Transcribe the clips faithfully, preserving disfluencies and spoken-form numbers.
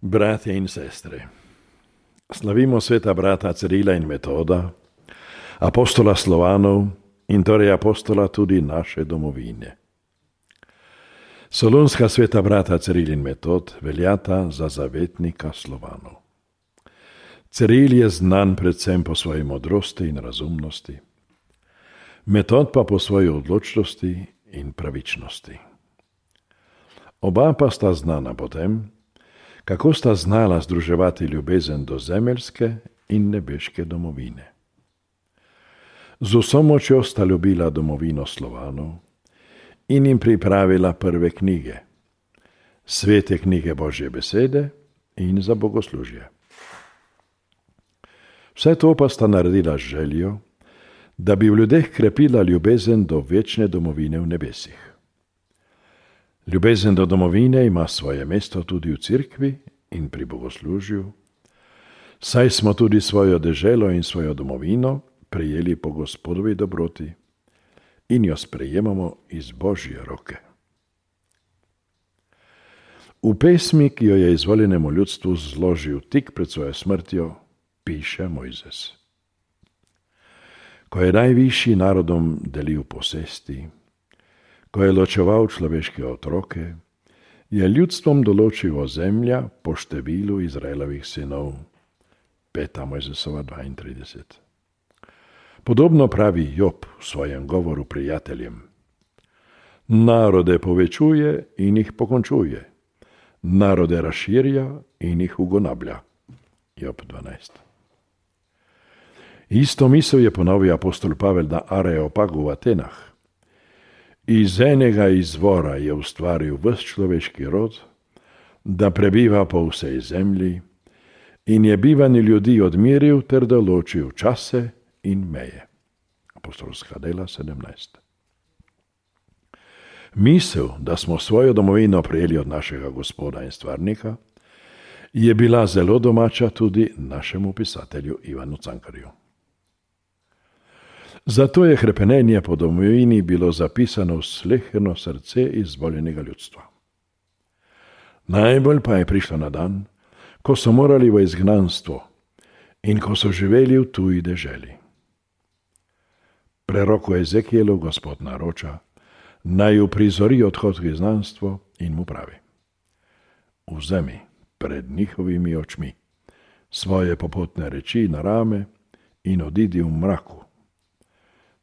Bratje in sestre, slavimo sveta brata Cirila in Metoda, apostola Slovanov in torej apostola tudi naše domovine. Solunska sveta brata Ciril in Metod veljata za zavetnika Slovanov. Ciril je znan predvsem po svoji modrosti in razumnosti, Metod pa po svoji odločnosti in pravičnosti. Oba pa sta znana po tem, kako sta znala združevati ljubezen do zemeljske in nebeške domovine. Z vso močjo sta ljubila domovino Slovanov in jim pripravila prve knjige, svete knjige Božje besede in za bogoslužje. Vse to pa sta naredila z željo, da bi v ljudeh krepila ljubezen do večne domovine v nebesih. Ljubezen do domovine ima svoje mesto tudi v cerkvi in pri bogoslužju, saj smo tudi svojo deželo in svojo domovino prejeli po Gospodovi dobroti in jo sprejemamo iz Božje roke. V pesmi, ki jo je izvoljenemu ljudstvu zložil tik pred svojo smrtjo, piše Mojzes. Ko je najvišji narodom delil posesti, ko je ločeval človeške otroke, je ljudstvom določil ozemlja po številu Izraelovih sinov. Peta Mojzesova dvaintrideset. Podobno pravi Job v svojem govoru prijateljem. Narode povečuje in jih pokončuje, narode razširja in jih ugonablja. Job dvanajst. Isto misel je ponovil apostol Pavel na Areopagu v Atenah. Iz enega izvora je ustvaril ves človeški rod, da prebiva po vsej zemlji in je bivanje ljudi odmiril ter določil čase in meje. Apostolska dela sedemnajst. Misel, da smo svojo domovino prejeli od našega Gospoda in stvarnika, je bila zelo domača tudi našemu pisatelju Ivanu Cankarju. Zato je hrepenenje po domovini bilo zapisano v sleherno srce izvoljenega ljudstva. Najbolj pa je prišlo na dan, ko so morali v izgnanstvo in ko so živeli v tuji deželi. Preroku Ezekielu Gospod naroča, naj uprizori odhod v izgnanstvo in mu pravi: vzemi pred njihovimi očmi svoje popotne reči na rame in odidi v mraku.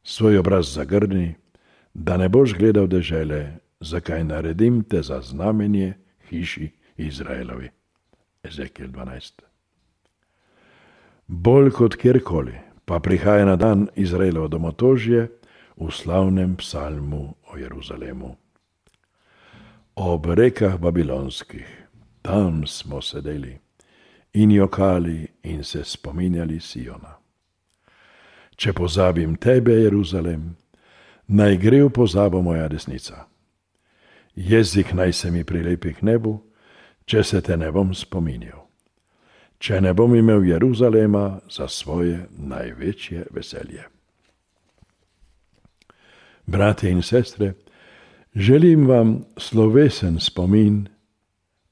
Svoj obraz zagrni, da ne boš gledal dežele, zakaj naredim te za znamenje hiši Izraelovi. Ezekiel dvanajst. Bolj kot kjerkoli pa prihaja na dan Izraelovo domotožje v slavnem psalmu o Jeruzalemu. Ob rekah babilonskih, tam smo sedeli in jokali in se spominjali Siona. Če pozabim tebe, Jeruzalem, naj gre v pozabo moja desnica. Jezik naj se mi prilepi k nebu, če se te ne bom spominjal. Če ne bom imel Jeruzalema za svoje največje veselje. Bratje in sestre, želim vam slovesen spomin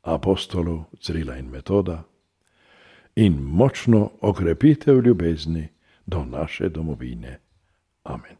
apostolov Cirila in Metoda in močno okrepitev ljubezni do naše domovine. Amen.